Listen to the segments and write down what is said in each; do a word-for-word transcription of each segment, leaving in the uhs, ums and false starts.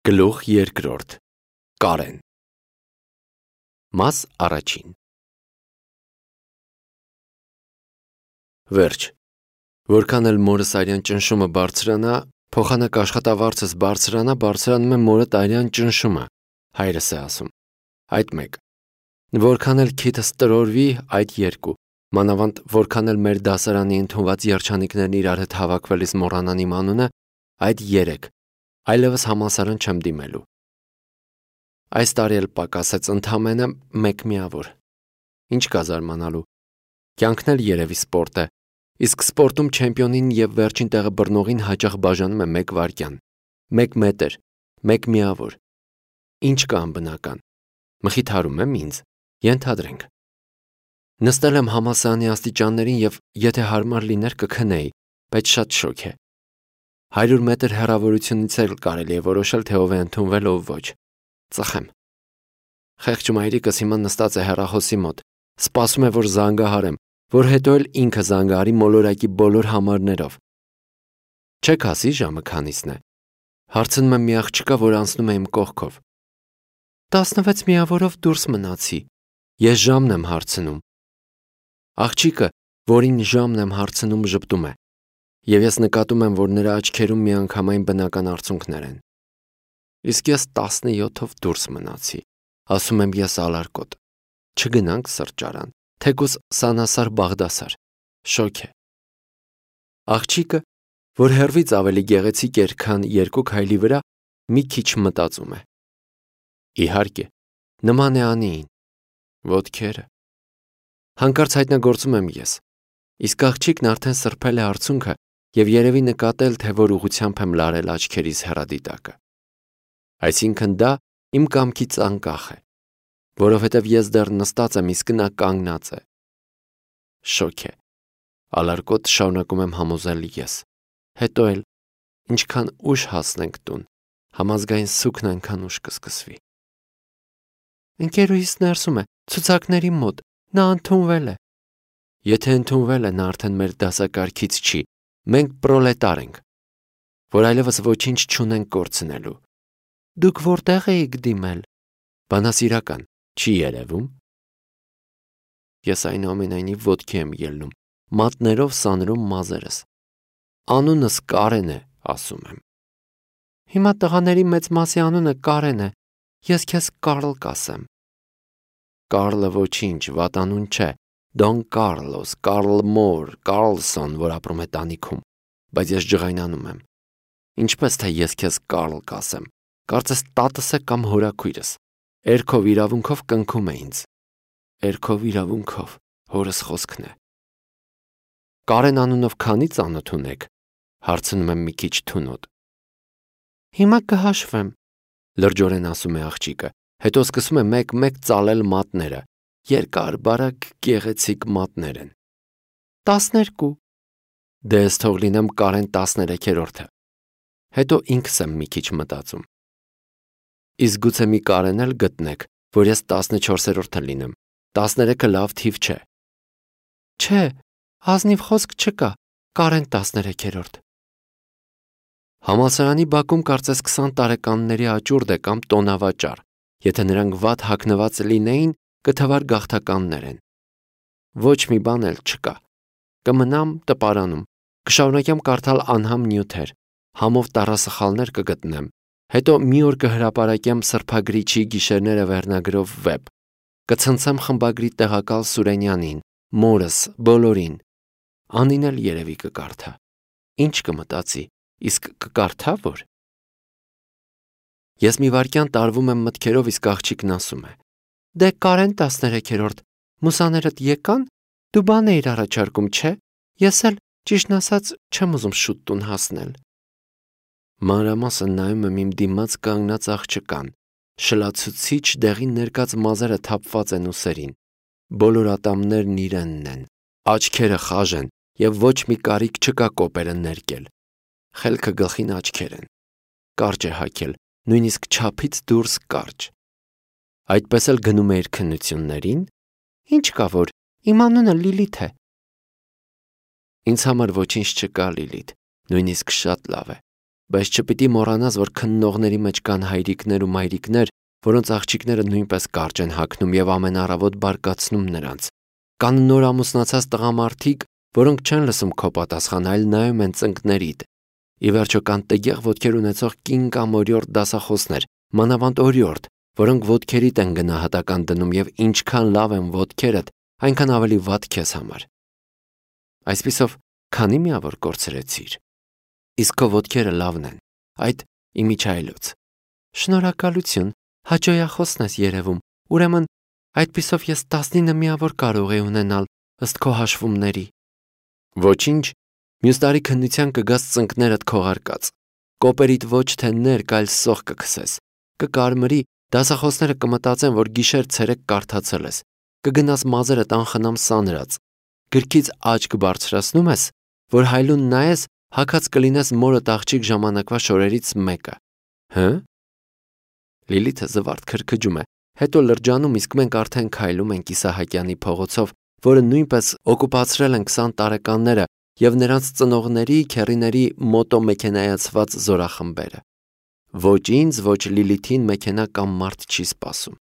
Գլուխ երկրորդ Կարեն Մաս առաջին Վերջ Որքան էլ մորս արյան ճնշումը բարձրանա, փոխանակ աշխատավարձս բարձրանա, բարձրանում է մորդ արյան ճնշումը, հայրս է ասում, այդ մեկ, որքան էլ քիթս տրորվի, այդ երկու, մանավանդ որքան էլ մեր դասարանի ընդունված երջանիկներն իրար հետ հավաքվելիս մոռանան իմ անունը, այդ երեք, այլևս համալսարան չեմ դիմելու։ Այս տարի էլ պակասեց ընդամենը մեկ միավոր։ Ինչ կա զարմանալու։ Կյանքն էլ երևի սպորտ է, իսկ սպորտում չեմպիոնին և վերջին տեղը բռնողին հաճախ բաժանում է մեկ վայրկյան, մեկ մետր, մեկ միավոր։ Ինչ կա անբնական։ Մխիթարում եմ ինձ, ենթադրենք։ Նստել եմ համալսարանի աստիճաններին և եթե հարմար լիներ կքնեի, բայց շատ շոգ է։ Հարյուր մետր հեռավորությունից էլ կարելի է որոշել, թե ով է ընդունվել, ով ոչ։ Ծխեմ։ Խեղճ մայրիկս հիմա նստած է հեռախոսի մոտ, սպասում է, որ զանգահարեմ, որ հետո էլ ինքը զանգահարի մոլորակի բոլոր համարներով։ Չեք ասի ժամը քանիսն է։ Հարցնում եմ մի աղջկա, որ անցնում է իմ կողքով։ Տասնվեց միավորով դուրս մնացի։ Ես ժամն եմ հարցնում։ Աղջիկը, որին ժամն եմ հարցնում, ժպտում է։ Եվ ես նկատում եմ, որ նրա աչքերում միանգամայն բնական արցունքներ են։ Իսկ ես տասնյոթով դուրս մնացի, ասում եմ ես ալարկոտ։ Չգնանք սրճարան, թեկուզ սանասար Բաղդասար, շոգ է։ Աղջիկը, որ հեռվից ավելի գեղեցիկ էր, քան երկու քայլի վրա, մի քիչ մտածում է։ Իհարկե, նման է Անիին, ոտքերը։ Հանկարծ հայտնագործում եմ ես, իսկ աղջիկն արդեն սրբել է արցունքը և երևի նկատել, թե որ ուղղությամբ եմ լարել աչքերիս հեռադիտակը։ Այսինքն դա իմ կամքից անկախ է, որովհետև ես դեռ նստած եմ, իսկ նա կանգնած է։ Շոգ է։ Ալարկոտ շարունակում եմ համոզել ես։ Հետո էլ, ինչքան ուշ հասնենք տուն, համազգային սուգն այնքան ուշ կսկսվի։ Ընկերուհիս ներսում է, ցուցակների մոտ, նա ընդունվել է։ Եթե ընդունվել է, նա արդեն մեր դասակարգից չի, մենք պրոլետար ենք, որ այլևս ոչինչ չունենք կորցնելու։ Դուք որտեղ էիք դիմել։ Բանասիրական, չի երևում։ Ես այնուամենայնիվ ոտքի եմ ելնում, մատներով սանրում մազերս։ Անունս Կարեն է, ասում եմ։ Հիմա տղաների մեծ մասի անունը Կարեն է, ես քեզ Կարլ կասեմ։ Կարլը ոչինչ, վատ անուն չէ, Դոն Կարլոս, Կարլ Մոր, Կարլսոն, որ ապրում է տանիքում, բայց ես ջղայնանում եմ։ Ինչպես թե ես քեզ Կարլ կասեմ, կարծես տատս է կամ հորաքույրս, էրքով իրավունքով կնքում է ինձ։ Էրքով իրավունքով, հորս խոսքն է։ Կարեն անունով քանի ծանոթ ունեք, հարցնում եմ մի քիչ թունոտ։ Հիմա կհաշվեմ, լրջորեն ասում է աղջիկը, հետո սկսում է մեկ-մեկ ծալել մատները, երկար, բարակ, գեղեցիկ մատներ են։ Տասներկու։ Դե ես թող լինեմ Կարեն տասներեքերորդը։ Հետո ինքս եմ մի քիչ մտածում։ Իսկ գուցե մի Կարեն էլ գտնեք, որ ես տասնչորսերորդը լինեմ, տասներեքը լավ թիվ չէ։ Չէ, ազնիվ խոսք չկա, Կարեն տասներեքերորդ։ Համալսարանի բակում կարծես քսան տարեկանների աճուրդ է կամ տոնավաճառ, եթե նրանք վատ հագնված լինեին, կթվար գաղթականներ են։ Ոչ մի բան էլ չկա։ Կմնամ տպարանում, կշարունակեմ կարդալ անհամ նյութեր, համով տառասխալներ կգտնեմ, հետո մի օր կհրապարակեմ սրբագրիչի գիշերները վերնագրով վեպ, կցնցեմ խմբագրի տեղակալ Սուրենյանին, մորս, բոլորին։ Անին էլ երևի կկարդա։ Ինչ կմտածի, իսկ կկարդա որ։ Ես մի վայրկյան տարվում եմ մտքերով, իսկ աղջիկն ասում է. Դե Կարեն տասներեքերորդ, մուսաներդ եկան, դու բան էիր առաջարկում, չէ, ես էլ, ճիշտն ասած, չեմ ուզում շուտ տուն հասնել։ Մանրամասն նայում եմ իմ դիմաց կանգնած աղջկան, շլացուցիչ դեղին ներկած մազերը թափված են ուսերին, բոլոր ատամներն իրենն են, աչքերը խաժ են և ոչ մի կարիք չկա կոպերը ներկել, խելքը գլխին աչքեր են, կարճ է հագել, նույնիսկ չափից դուրս կարճ։ Այդպես էլ գնում է իր քննություններին։ Ինչ կա որ, իմ անունը Լիլիթ է։ Ինձ համար ոչինչ չկա Լիլիթ, նույնիսկ շատ լավ է։ բայց չպիտի մոռանաս, որ քննողների մեջ կան հայրիկներ ու մայրիկներ, որոնց աղջիկները նույնպես կարճ են հագնում եւ ամեն առավոտ բարկացնում նրանց։ Կան նոր ամուսնացած տղամարդիկ, որոնք չեն լսում քո պատասխան, այլ նայում են ծնկներիդ։ Ի վերջո կան տգեղ ոտքեր ունեցող կին կամ օրիորդ դասախոսներ, մանավանդ օրիորդ, որոնք ոտքերիդ են գնահատական դնում եւ ինչքան լավ են ոտքերդ, այնքան ավելի վատ քեզ համար։ Այսպիսով, քանի միավոր կորցրեցիր։ Իսկ քո ոտքերը լավն են։ Այդ իմիջայլոց։ Շնորհակալություն, հաճոյախոսն ես երևում։ Ուրեմն, այդպիսով ես տասնինը միավոր կարող եմ ունենալ ըստ քո հաշվումների։ Ոչինչ, մյուս տարի քննության կգաս ծնկներդ քողարկած։ Կոպերիդ ոչ թե ներկ, այլ սող կքսես։ Կկարմրի, դասախոսները կմտածեն, որ գիշեր ցերեկ կարդացել ես։ Կգնաս մազերդ անխնամ սանրած։ Գրքից աչք բարձրացնում ես, որ հայլուն նայես, հագած կլինես մորդ աղջիկ ժամանակվա շորերից մեկը։ Հը՞։ Լիլիթը զվարթ քրքջում է, հետո լրջանում, իսկ մենք արդեն քայլում ենք Իսահակյանի փողոցով, որը նույնպես օկուպացրել են քսան տարեկանները եւ նրանց ծնողների, քեռիների մոտոմեքենայացված զորախմբերը։ Ոչ ինձ, ոչ Լիլիթին մեքենա կամ մարդ չի սպասում։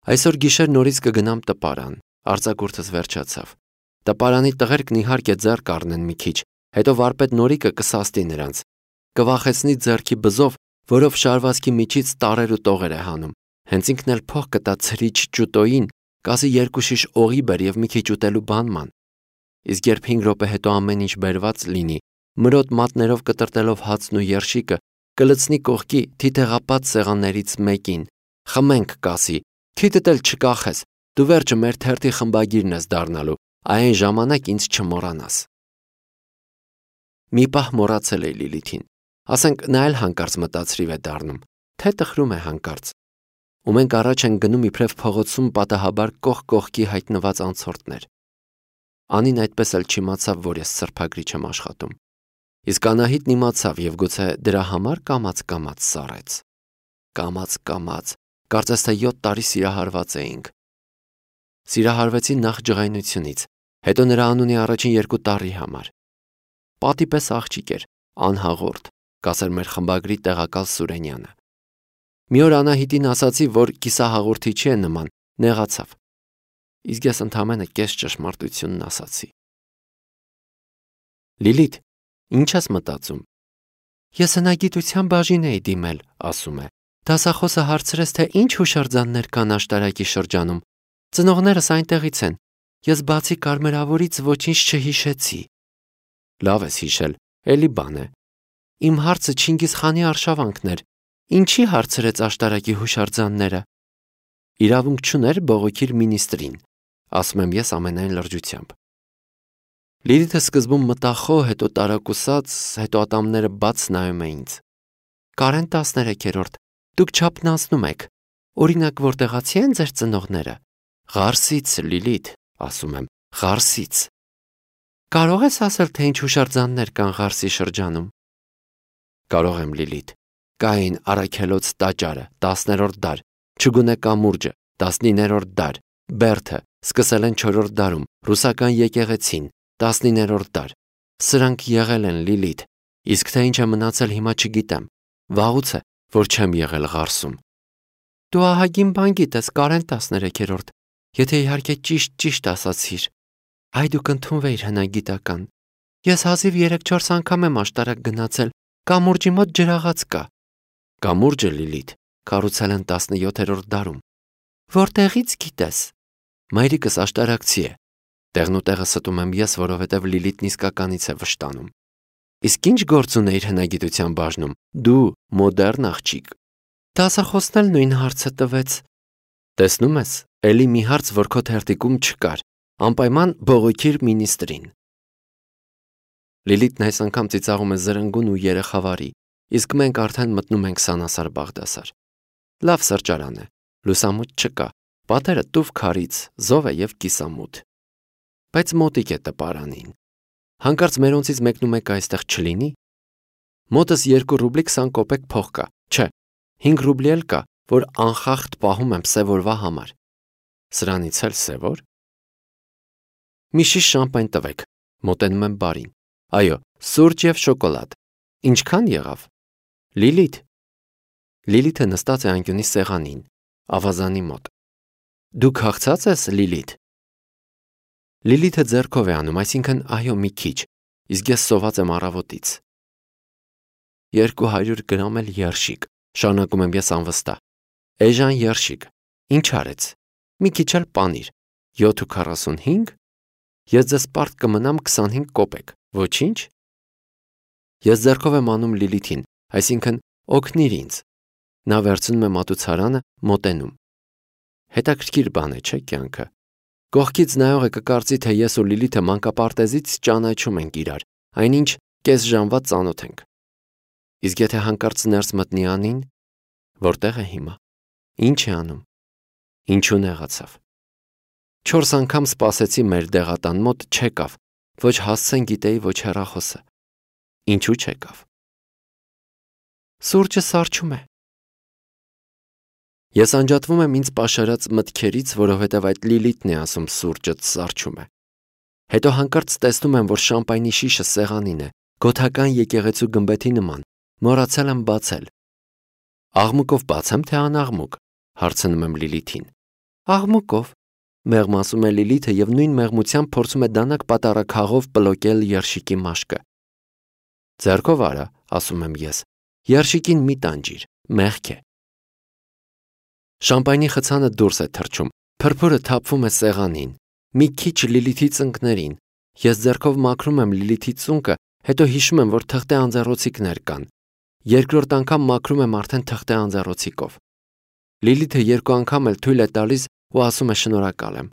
Այսօր գիշեր նորից կգնամ տպարան, արձակուրդս վերջացավ։ Տպարանի տղերքն իհարկե ձեռ կառնեն մի քիչ, հետո վարպետ Նորիկը կսաստի նրանց։ Կվախեցնի ձեռքի բզով, որով շարվածքի միջից տարեր ու տողեր է հանում։ Հենց ինքն էլ փող կտա ցրիչ ճուտոյին, կասի երկու շիշ օղի բեր եւ մի քիչ ուտելու բան ման։ Իսկ երբ հինգ րոպե հետո ամեն ինչ բերված լինի, մրոտ մատներով կտրտելով հացն ու երշիկը, կլցնի կողքի թիթեղապատ սեղաններից մեկին։ Խմենք, կասի, քիթդ էլ չկախես, դու վերջը մեր թերթի խմբագիրն ես դառնալու, այն ժամանակ ինձ չմոռանաս։ Մի պահ մոռացել է Լիլիթին։ Ասենք նա էլ հանկարծ մտածրիվ է դառնում, թե տխրում է հանկարծ։ Ու մենք առաջ են գնում իբրև փողոցում պատահաբար կողք կողքի հայտնված անցորդներ։ Անին այդպես էլ չիմացավ, որ ես սրբագրիչ եմ աշխատում։ Իսկ Անահիտն իմացավ եւ գուցե դրա համար կամաց-կամաց սառեց։ Կամաց-կամաց, կարծես թե յոթ տարի սիրահարված էինք։ Սիրահարվեցի նախ ջղայնությունից, հետո նրա անունի առաջին երկու տարի համար։ Պատի պես աղջիկ էր, անհաղորդ, կասեր մեր խմբագրի տեղակալ Սուրենյանը։ Մի օր Անահիտին ասացի, որ կիսահաղորդի չի նման, նեղացավ։ Իսկ ես ընդամենը կես ճշմարտությունն ասացի։ Լիլիթ, ինչ ես մտածում։ Ես հնագիտության բաժին էի դիմել, ասում է։ Դասախոսը հարցրեց, թե ինչ հուշարձաններ կան աշտարակի շրջանում։ Ծնողներս այնտեղից են։ Ես բացի կարմրավորից ոչինչ չհիշեցի։ Լավ ես հիշել, էլի բան է։ Իմ հարցը Չինգիզ խանի արշավանքն էր։ Ինչի հարցրեց աշտարակի հուշարձանները։ Իրավունք չուներ բողոքիր մինիստրին, ասում եմ ես ամենայն լրջությամբ։ Լիլիթը սկզբում մտախոհ, հետո տարակուսած, հետո ատամները բաց նայում է ինձ։ Կարեն տասներեքերորդ, դուք չափնացնում եք։ Օրինակ, որտեղացի են ձեր ծնողները։ Ղարսից, Լիլիթ, ասում եմ, Ղարսից։ Կարող ես ասել, թե ինչ հուշարձաններ կան Ղարսի շրջանում։ Կարող եմ, Լիլիթ։ Կային Արաքելոց տաճարը, տասներորդ դար, Չգունե կամուրջը, տասնիններորդ դար, Բերդը, սկսել են չորրորդ դարում, ռուսական եկեղեցին, տասնիններորդ դար։ Սրանք եղել են, Լիլիթ, իսկ թե ինչ է մնացել հիմա չգիտեմ։ Վաղուց է, որ չեմ եղել Ղարսում։ Դու ահագին բան գիտես, Կարեն տասներեքերորդ, եթե իհարկե ճիշտ-ճիշտ ասացիր։ Այ դուք ընդունվեիր հնագիտական։ Ես հազիվ երեք-չորս անգամ եմ աշտարակ գնացել, կամուրջի մոտ ջրաղաց կա։ Կամուրջը, Լիլիթ, կառուցել են տասնյոթերորդ դարում։ Որտեղից գիտես։ Մայրիկս աշտարակցի է։ Տեղն ու տեղը ստում եմ ես, որովհետև Լիլիթն իսկականից է վշտանում։ Իսկ ինչ գործ ունեիր հնագիտության բաժնում։ Դու մոդեռն աղջիկ։ Դասախոսն էլ նույն հարցը տվեց։ Տեսնում ես, էլի մի հարց, որ քո թերթիկում չկար։ Անպայման բողոքիր մինիստրին։ Լիլիթն այս անգամ ծիծաղում է զրնգուն ու երեխավարի, իսկ մենք արդեն մտնում ենք Սանասար Բաղդասար։ Լավ սրճարան է, լուսամուտ չկա, պատերը տուֆ քարից, զով է եւ կիսամութ։ Բայց մոտիկ է տպարանին։ Հանկարծ մերոնցից մեկնում եք այստեղ չլինի։ Մոտս երկու ռուբլի քսան կոպեկ փող կա, չէ, հինգ ռուբլի էլ կա, որ անխախտ պահում եմ սևորվա համար։ Սրանից էլ սևոր։ Մի շիշ շամպայն տվեք, մոտենում եմ բարին։ Այո, սուրճ եւ շոկոլադ։ Ինչքան եղավ։ Լիլիթ։ Լիլիթը նստած է անկյունի սեղանին, ավազանի մոտ։ Դու քաղցած ես, Լիլիթ։ Լիլիթը ձեռքով է անում, այսինքն այո, մի քիչ, իսկ ես սոված եմ առավոտից։ Երկու հարյուր գրամ էլ երշիկ, շարունակում եմ ես անվստահ։ Էժան երշիկ, ինչ արեց։ Մի քիչ էլ պանիր, յոթ ու քառասունհինգ։ Ես ձեզ պարտ կմնամ քսանհինգ կոպեկ, ոչինչ։ Ես ձեռքով եմ անում Լիլիթին, այսինքն օգնիր ինձ։ Նա վերցնում է մատուցարանը, մոտենում։ Հետաքրքիր բան է, չէ՞ կյանքը։ Կողքից նայողը կկարծի, թե ես ու Լիլիթը մանկապարտեզից ճանաչում ենք իրար, այնինչ կես ժամվա ծանոթ ենք։ Իսկ եթե հանկարծ ներս մտնի Անին, որտեղ է հիմա։ Ինչ է անում։ Ինչու նեղացավ։ Չորս անգամ սպասեցի մեր դեղատան մոտ, չեկավ, ոչ հասցեն գիտեի, ոչ հեռախոսը։ Ինչու չեկավ։ Սուրճը սառչում է։ Ես անջատվում եմ ինձ պաշարած մտքերից, որովհետև այդ Լիլիթն է ասում սուրճը սառչում է։ Հետո հանկարծ տեսնում եմ, որ շամպայնի շիշը սեղանին է, գոթական եկեղեցու գմբեթի նման, մոռացել եմ բացել։ Աղմուկով բացեմ, թե անաղմուկ, հարցնում եմ Լիլիթին։ Աղմուկով, մեղմասում է Լիլիթը և նույն մեղմությամբ փորձում է դանակ պատարագաղով պլոկել երշիկի մաշկը։ Ձեռքով արա, ասում եմ ես, երշիկին մի տանջիր, մեղք է։ Շամպայնի խցանը դուրս է թռչում, փրփուրը թափվում է սեղանին, մի քիչ Լիլիթի ծնկներին։ Ես ձեռքով մաքրում եմ Լիլիթի ծունկը, հետո հիշում եմ, որ թղթե անձեռոցիկներ կան։ Երկրորդ անգամ մաքրում եմ արդեն թղթե անձեռոցիկով։ Լիլիթը երկու անգամ էլ թույլ է տալիս ու ասում է շնորհակալ եմ։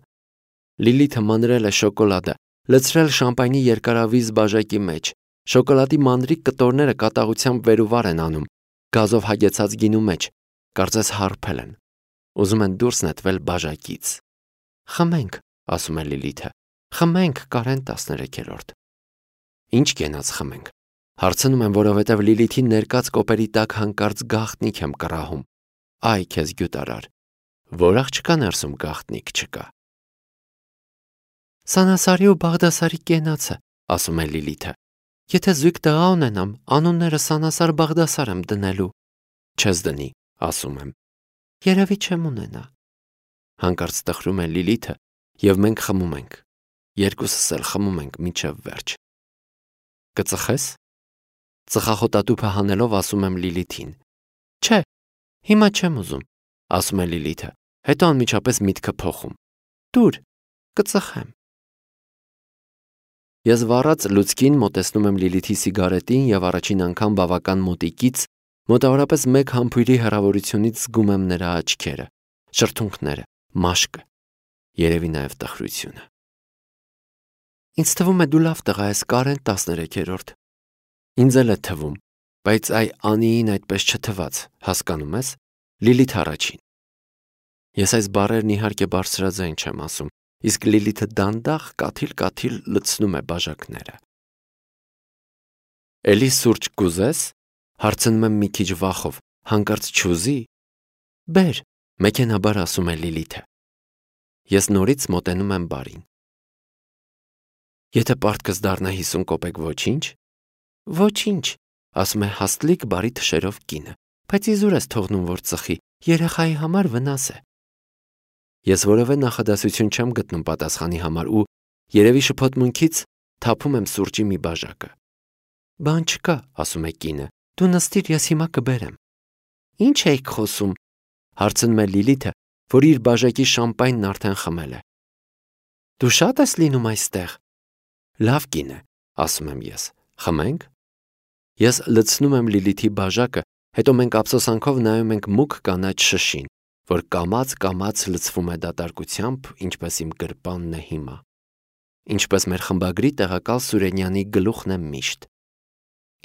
Լիլիթը մանրել է շոկոլադը, լցրել շամպայնի երկարավիզ բաժակի մեջ։ Շոկոլադի մանրիկ կտորները կատաղությամբ վեր ու վար են անում, գազով հագեցած գինու մեջ, կարծես հարբել են։ Ուզում են դուրս նետվել բաժակից։ Խմենք, ասում է Լիլիթը, խմենք, Կարեն տասներեքերորդ։ Ինչ կենաց խմենք։ Հարցնում եմ, որովհետև Լիլիթի ներկած կոպերի տակ հանկարծ գաղտնիք եմ կռահում։ Այ քեզ գյուտարար։ Որ աղջկա ներսում գաղտնիք չկա։ Սանասարի ու Բաղդասարի կենացը, ասում է Լիլիթը։ Եթե զույգ տղա ունենամ, անունները Սանասար Բաղդասար եմ դնելու։ Չես դնի, ասում եմ։ Երևի չեմ ունենա։ Հանկարծ տխրում է Լիլիթը, և մենք խմում ենք։ Երկուսս էլ խմում ենք մինչև վերջ։ Կծխես։ Ծխախոտատուփը հանելով ասում եմ Լիլիթին։ Չէ, հիմա չեմ ուզում, ասում է Լիլիթը, հետո անմիջապես միտքը փոխում։ Տուր, կծխեմ։ Ես վառած լուցկին մոտեցնում եմ Լիլիթի սիգարետին և առաջին անգամ բավական մոտիկից, մոտավորապես մեկ համբույրի հեռավորությունից զգում եմ նրա աչքերը, շրթունքները, մաշկը, երևի նաև տխրությունը։ Ինձ թվում է դու լավ տղա ես, Կարեն տասներեքերորդ։ Ինձ էլ է թվում, բայց այ Անիին այդպես չթվաց, հասկանում ես, Լիլիթ առաջին։ Ես այս բառերն իհարկե բարձրաձայն չեմ ասում, իսկ Լիլիթը դանդաղ կաթիլ-կաթիլ լցնում է բաժակները։ Էլի սուրճ կուզես, հարցնում եմ մի քիչ վախով, հանկարծ չուզի։ Բեր, մեքենաբար ասում է Լիլիթը։ Ես նորից մոտենում եմ բարին։ Եթե պարտքս դառնա հիսուն կոպեկ, ոչինչ։ Ոչինչ, ասում է հաստլիկ բարի թշերով կինը, բայց իզուր ես թողնում, որ ծխի, երեխայի համար վնաս է։ Ես որևէ նախադասություն չեմ գտնում պատասխանի համար ու երևի շփոթմունքից թափում եմ սուրճի մի բաժակը։ Բան չկա, ասում է կինը, դու նստիր, ես հիմա կբերեմ։ Ինչ էիք խոսում, հարցնում է Լիլիթը, որ իր բաժակի շամպայնն արդեն խմել է։ Դու շատ ես լինում այստեղ։ Լավ կին է, ասում եմ ես, խմենք։ Ես լցնում եմ Լիլիթի բաժակը, հետո մենք ափսոսանքով նայում ենք մուգ կանաչ շշին, որ կամաց-կամաց լցվում է դատարկությամբ, ինչպես իմ գրպանն է հիմա, ինչպես մեր խմբագրի տեղակալ Սուրենյանի գլուխն է միշտ,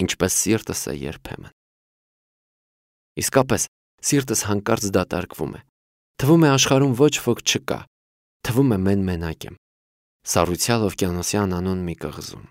ինչպես սիրտս է երբեմն։ Իսկապես, սիրտս հանկարծ դատարկվում է, թվում է աշխարհում ոչ ոք չկա, թվում է մեն մենակ եմ, սառույցյալ օվկիանոսյան անուն մի կղզում։